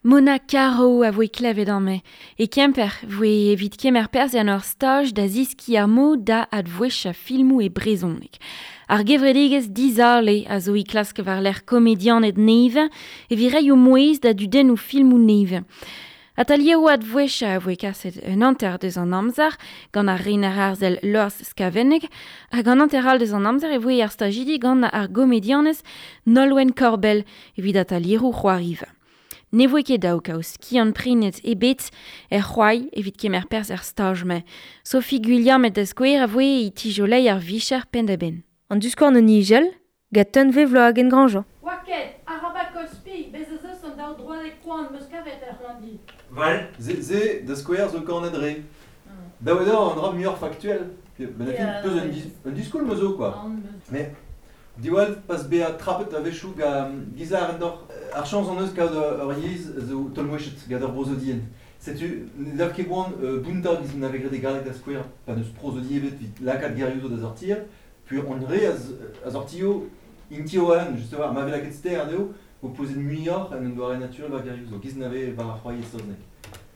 [SPEAKER 4] Mona Caro a voe klevet amañ. E Kemper voe evit kemer perzh en ur staj da ziski ar mod da advouezhañ filmoù e brezhoneg. Ar gevredigezh Dizale a zo e klask war-lerc'h komedianed nevez evit reiñ o mouezh da dudennoù filmoù nevez. Atalieroù advouezhañ a voe kaset un hanter deus an amzer gant ar rener arzel Lors Skavenneg hag an hanter all deus an amzer e voe ar stajidi gant ar gomedianez Nolwenn Korbell evit atalieroù c'hoariva. Ne voe ket daou kaout skiant prenet ebet er c'hoai evit kemer perzh er staj-mañ. Sophie Gwilliam da skouer a voe e tijolei ar vicher penn-da-benn.
[SPEAKER 3] An diskouarn o nijel, gant Tunvezh Vloagen-Grandjean.
[SPEAKER 11] Waket, arabat kospi, bez ez eus an daou droadeg koant 'm eus kavet er c'hlañvdi.
[SPEAKER 7] Val, ze, ze da skouer zo kanet re. Daou eo an dra muioc'h faktuel. Ben a fin, peus un, dis, un diskoulm zo, quoi. Mais diwall pas bezañ trapet a-wechoù gant gizar en dor ar chañs an eus kaout ur yezh zo tolmouechet gant ur brozodien. Setu, ne dav ket boan euh, bountañ giz n'ave graet e galleg da skouer pa n'eus prozodi ebet evit lakaat gerioù zo da sortir, puis on re a, a sortio intio an, justement, ma vez lakaet ster anezho, vo pozet muioc'h en un doare naturel war gerioù zo, giz n'ave war ar c'hoari e saozneg.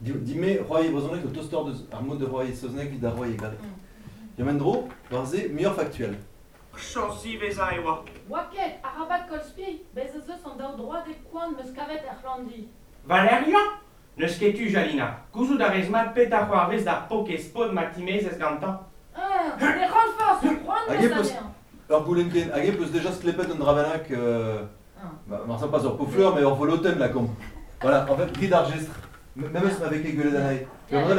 [SPEAKER 7] Dime c'hoari e brezhoneg zo tostoc'h deus ar mod de c'hoari e saozneg evit ar c'hoari e galleg. Ya men dro, war se, muioc'h faktuel.
[SPEAKER 5] Chañs ivez e oa.
[SPEAKER 11] Waket, arabat kospi, bez ez eus an daou droadeg koant 'm eus kavet er c'hlañvdi.
[SPEAKER 5] Valeria? N'eus ket tu, Jalina. Gouzout a rez mat petra c'hoarvez d'ar pokez pod ma timezez gantañ.
[SPEAKER 11] Ah, ne ran forzh, c'hoant
[SPEAKER 7] Hag
[SPEAKER 11] 'm
[SPEAKER 7] e
[SPEAKER 11] eus
[SPEAKER 7] peus
[SPEAKER 11] anezhañ.
[SPEAKER 7] ur goulenn ken, hag e peus deja sklepet un dra bennak, euh, bah, mar pas ur pot-fleur, mais ur volotenn la komp. Voilà, en fait, grit ar jestr. Même si m'avait ket gwelet anezhi. Yeah. Pe un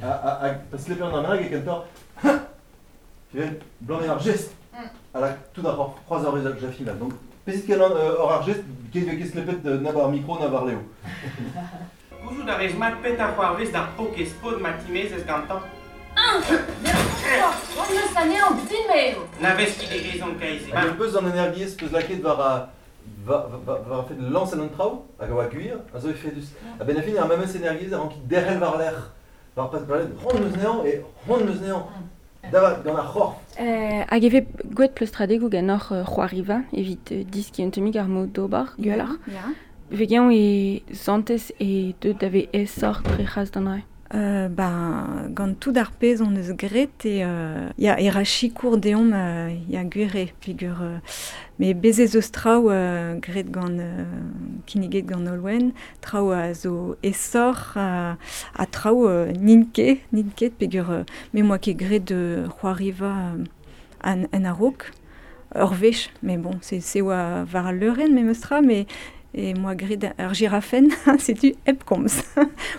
[SPEAKER 7] a, a, a, pa sklepet un dra bennak e kentoc'h, blanc ar gest. À la tout ar c'hoaz ar rez jafim là. Donc, pesit ket an ur ar gest, ket ket sklepet na war micro na war leo.
[SPEAKER 5] Gouzout a rez mat petra c'hoarvez d'ar pokez pod ma timezez gantañ.
[SPEAKER 11] Ah, ne ran forzh, c'hoant 'm eus anezhañ, din-me eo.
[SPEAKER 5] Na vez ket e rezon kaezh.
[SPEAKER 7] Hag un peus an energiezh peus lakaet war a va va war fet lañs an traoù hag a oa gwir a zo efedus. A benn ar fin ar memes energiezh a rank derc'hel war lerc'h. War pas war c'hoant 'm eus anezhañ e c'hoant 'm eus anezhañ. Da gant ar c'horf.
[SPEAKER 8] Euh, hag e vez gwelet pleustradegoù ganeoc'h euh, c'hoariva evit euh, diski un tammig ar mod d'ober gwelloc'h.
[SPEAKER 9] Ya.
[SPEAKER 8] Vegañ e santez e deut da vez aesoc'h dre c'hras d'an dra.
[SPEAKER 9] Euh, ben, gant tout ar pezh on eus graet e euh, ya e ra sikour deomp euh, ya gwir eo peogwir euh, mais bez ez eus traoù euh, graet gant euh, kinniget gant Nolwenn, traoù a zo aesoc'h euh, ha traoù euh, n'int ket, n'int ket peogwir euh, me 'moa ket graet de c'hoariva euh, an, an a-raok, ur wech, mais bon, c'est, c'est oa war al leurenn memes tra, mais E moa gret ar girafen, setu hep komz.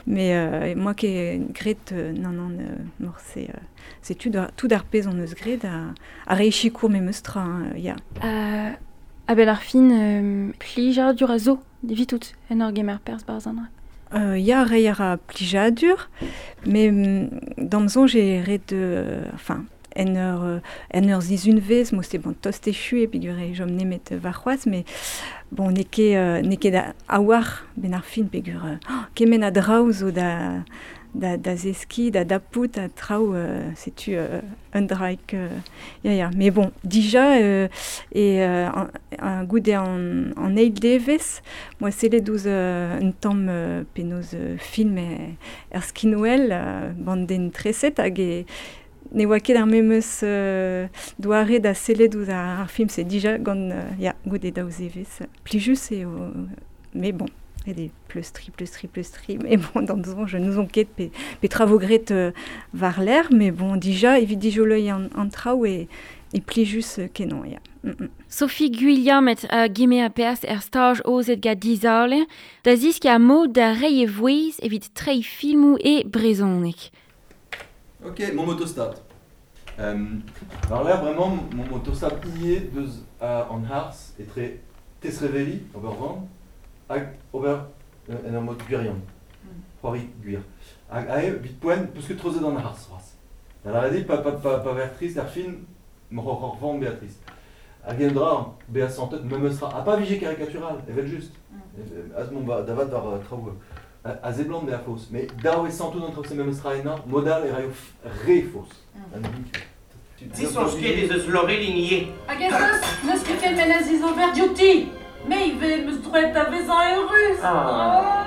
[SPEAKER 9] Mais euh, moa ket gret, euh, non, non, euh, morse, euh, setu tout ar pezh on eus gret a, a reichikour me meus tra, hein, ya.
[SPEAKER 8] Euh, a ben ar fin, euh, plijadur a zo, divitout, en ur gemer perz barzh an dra.
[SPEAKER 9] Euh, ya, rei a ra plijadur, mais d'am soñj e ret, euh, enfin, en ur, en ur zizunvez, mo se bon tost echu e peogwir e chom nemet warc'hoazh, mais bon, n'eo ket, euh, n'eo ket da a-walc'h ben ar fin peogwir euh, oh, kement a draoù zo da, da, da zeskiñ, da dapout, a traoù, euh, setu euh, un draig, euh, ya, ya. Mais bon, dija, euh, e euh, an, an goude an, an eil devezh, moa sellet ouzh euh, un tamm euh, penaos euh, film e, er skinwel, euh, bandenn treset, hag e ne oa ket ar memes euh, doare da sellet ouzh ar, ar film, c'est dija gant, euh, ya, goude daou zevezh. Plijus eo, mais bon, et des pleustri, pleustri, pleustri, mais bon, dans soñj, je n'ouzon ket pe, petra vo gret euh, war l'air, mais bon, dija, evit dijoloiñ an, an traoù e, e plijus kenañ, ya. Mm -mm.
[SPEAKER 4] Sophie Gwilliamet a geme a perz er staj ozet gant Dizale, da zisk a mod da reiñ e vouezh evit treiñ filmoù e brezhoneg.
[SPEAKER 7] Ok, mon motostat. Euh, alors là, vraiment, mon motostat y est deus a an harz etre tesreveli, ober van, hag ober euh, en ur mod gwirion, c'hoari gwir. Hag ae, vit poent, peus ket treuzet an harz, c'hoazh. Da lavaret eo, pa, pa, pa, pa ver trist ar fin, m'oc'h oc'h van Beatrice. Hag en dra, bezañ santet memes tra, ha pa vije karikatural, evel just. Mm. Az mont va, davat war uh, traoù a zeblant bezañ faos. Mais dav eo santout an traoù se memes tra ennañ, modal e raio re faos. Mm.
[SPEAKER 5] Disoñj ket ez eus Laureline ivez.
[SPEAKER 11] Hag ez eus, n'eus ket kement a zizober diouti. Me ivez meus droet da vezañ eurus.
[SPEAKER 7] Ah.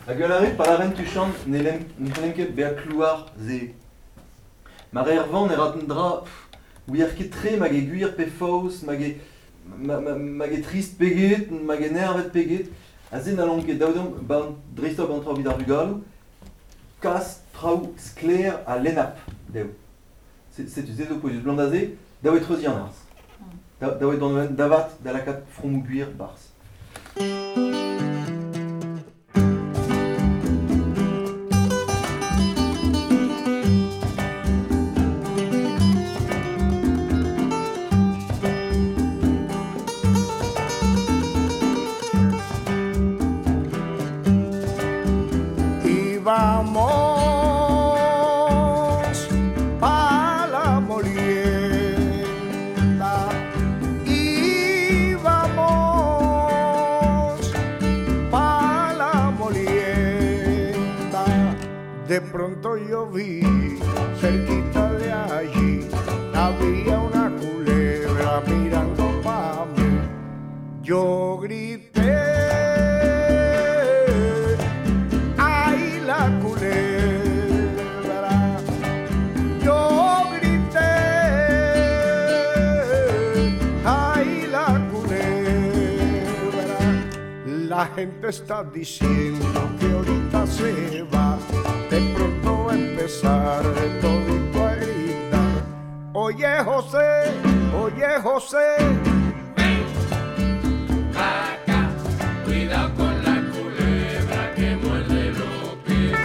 [SPEAKER 7] Hag ul arre, pa laren tuchant, ne lem, ne c'hellem ket bezañ klouar se. Ma reer van e ra un dra, ouier ket tre mag e gwir pe faos, mag e, ma, ma, mag e trist peget, mag e nervet peget. A se n'hallomp ket daou deomp ban dreist-holl an traoù evit ar vugaloù, kas traoù sklaer ha lennap dezho. Setu se zo pouezus blant aze, daou e treuziñ an arz. Daou e dont davat da lakaat fromoù gwir barzh.
[SPEAKER 10] Vamos pa la molienda y vamos pa la molienda. De pronto yo vi cerquita de allí había una culebra mirando pa mí. Yo grité, ay la culebra. Yo grité, ay la culebra. La gente está diciendo que ahorita se va, de pronto va a empezar todito a gritar. Oye José, oye José,
[SPEAKER 12] ven pa' acá, cuidado con la culebra que muerde los pies.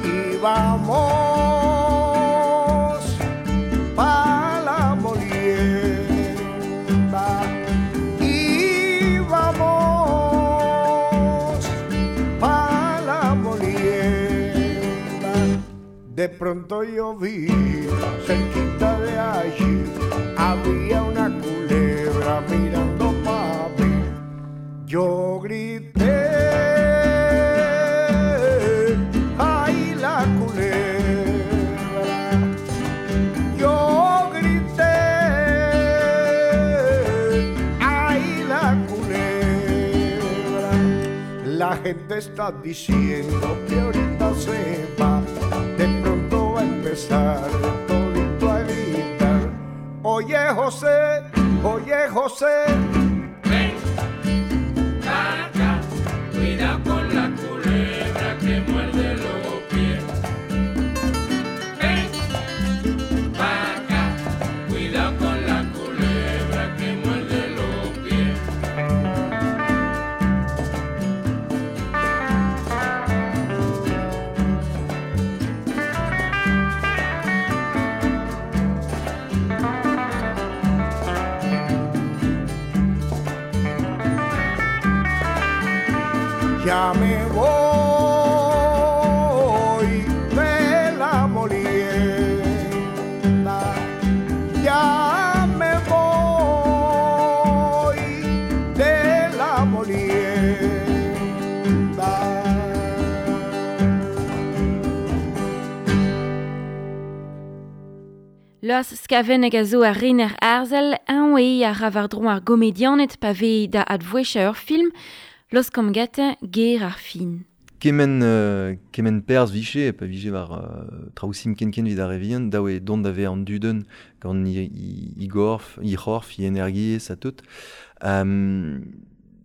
[SPEAKER 10] Y vamos pa' la molienda y vamos pa' la molienda. De pronto yo vi cerquita de allí había una culebra mirando pa' mí. Yo grité, ay la culebra. Yo grité, ay la culebra. La gente está diciendo que ahorita se va, de pronto va a empezar todito a gritar. Oye José, José, oye José.
[SPEAKER 12] Ven pa' acá, cuidado con la culebra que muerde los pies. Ven pa' acá, cuidado con la culebra que muerde los pies.
[SPEAKER 10] Ya me voy de la molienda, ya me voy de la molienda.
[SPEAKER 4] Los Skaveneg a zo ar rener arzel, un eo ar ravardron ar gomedianet pa vez da advouecha ur film, Los komgete ger ar fin.
[SPEAKER 7] Kemen, euh, kemen perz viche, pa vije war euh, traousim ken-ken vid ar revien, daou e dont ave an duden gant i, i, i gorf, i c'horf, i energiez ha tout. Um,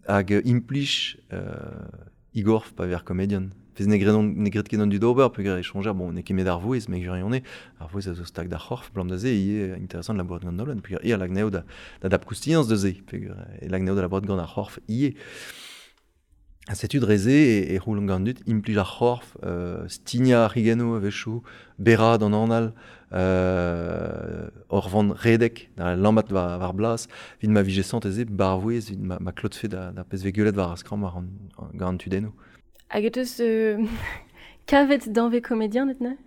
[SPEAKER 7] hag implij euh, i gorf pa ver komedian. Fez ne gredon, ne gred ket an dud ober, peogwir e soñjer, bon, n'eo ket met ar vouez, me gwirionez, ar vouez a zo stag d'ar c'horf, blam da ze, ivez interesant labourat gant Nolan, peogwir e a lag neo da, da dap koustiañs da ze, peogwir e lag neo da labourat gant ar c'horf ivez. Ha setu dreze e, e c'houlan gant dud, implij ar c'horf, euh, stigna ar c'higano a-wechoù, berra d'an anal, euh, ur vant redek, da lammat war, war blas, vit ma vije sant eze, barvouez, vit ma, ma klotfe da, da pezh ve guelet war ar skramm war an, an, gant an tudennoù.
[SPEAKER 8] Hag e teus euh, kavet danve komedian et ne?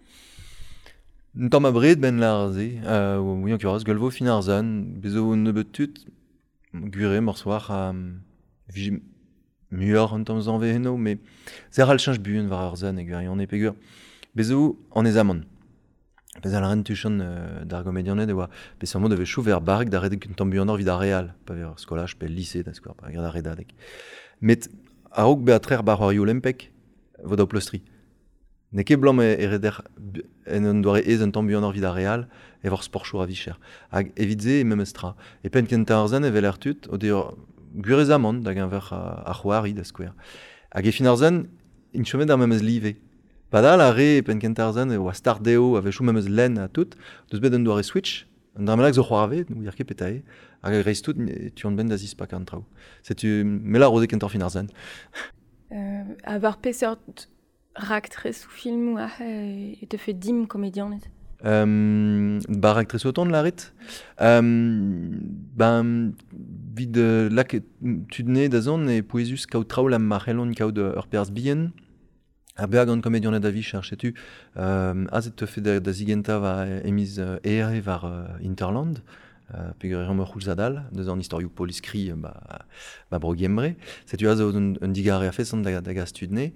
[SPEAKER 7] Un tamm abred ben lar ze, euh, oui, en kuraz, gueulvo fin ar zan, bezo nebeut tud, gwire morsoir, euh, vije muioc'h un tamm zanve eno, mais zer al cheñch buan war ar zan e gwirionez peogwir. Bezo an ez amant. Bez al ren tuchant euh, d'ar gomedianed e oa peseurt mod a vez chou ver barrek da redek un tamm buanoc'h evit ar real, pa ver skolaj pe lise da skouer, pa ver ar redadeg. Met a-raok bezañ trec'h bar c'hoarioù olimpek, vo daou pleustri. N'eo ket blam e, e reder en un doare ez un tamm buanoc'h evit ar real, e vor sportchour a vicher. Hag evit se e memes tra. E penn kentañ ar zan evel ar tud, o dezho gwirez amant da geñver ar c'hoari da skouer. Hag e fin ar zan, int chomet ar memes live. Padal ar re e penn kentañ ar zan e oa start dezho a-wechoù memes lenn ha tout, deus bet un doare switch, un dra bennak zo c'hoarve, n'ouier ket peta eo, hag a greiz tout e tu an ben da zispak an traoù. Setu me la roze kentoc'h fin ar zan.
[SPEAKER 8] Euh, a war peseurt raktres ou filmoù a e te fait dim komedianed?
[SPEAKER 7] Euh, bar raktres autant de la rit. Euh, ben, vid euh, lak tud ne da zon e pouezus kaout traoù la ma c'hellont kaout ur perzh bihan. A beag gant komedianed a vicher, setu. Euh, aze te fait da, da zigenta va emiz euh, ere war euh, Interland. Euh, peogwir eo ur c'houlzad-all, deus an istorioù poliskri ba, ba bro Gembre. Setu aze un, un digare a feson da, da gas tud ne.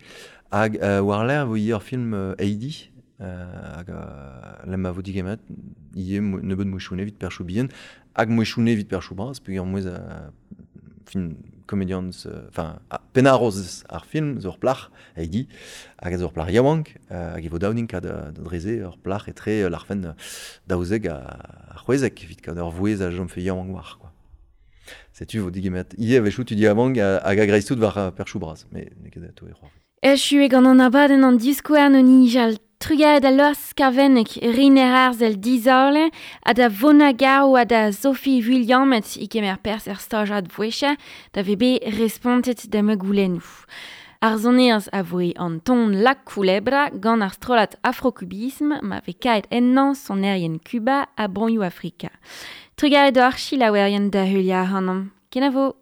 [SPEAKER 7] Hag euh, war l'air vo ivez ur film euh, Heidi, euh, hag euh, lem a vo digemet, ivez nebeut mouechoù evit perchoù bihan, hag mouechoù evit perchoù bras, peogwir mouez a fin komedians, enfin, euh, pennaroz ar film, zo ur plac'h, Heidi, hag a zo ur plac'h yaouank, euh, hag e vo daounin kad da dreze ur plac'h etre l'arfen daouzek a, a c'hwezek, evit kad ur vouez a jom fe yaouank war, quoi. Setu vo digemet. Ivez a-wechoù tu di yaouank hag a greiz tout war perchoù bras, mais n'eo ket atao e c'hoar.
[SPEAKER 4] Echu e gant an abadenn an diskouarn o nijal Trugaret a Los Skaveneg, Riner Arzel dizale, ha da Vona Gao ha da Sophie Williamet i kemer pers er stajad vouecha, da vebe respontet da me goulennoù. Ar sonerz a voe an ton La Culebra gant ar strollad afrokubism ma ve kaet ennañ sonerien Cuba ha broioù Afrika. Trugaret d'ar chilaouerien da heuliañ ac'hanomp. Kenavo!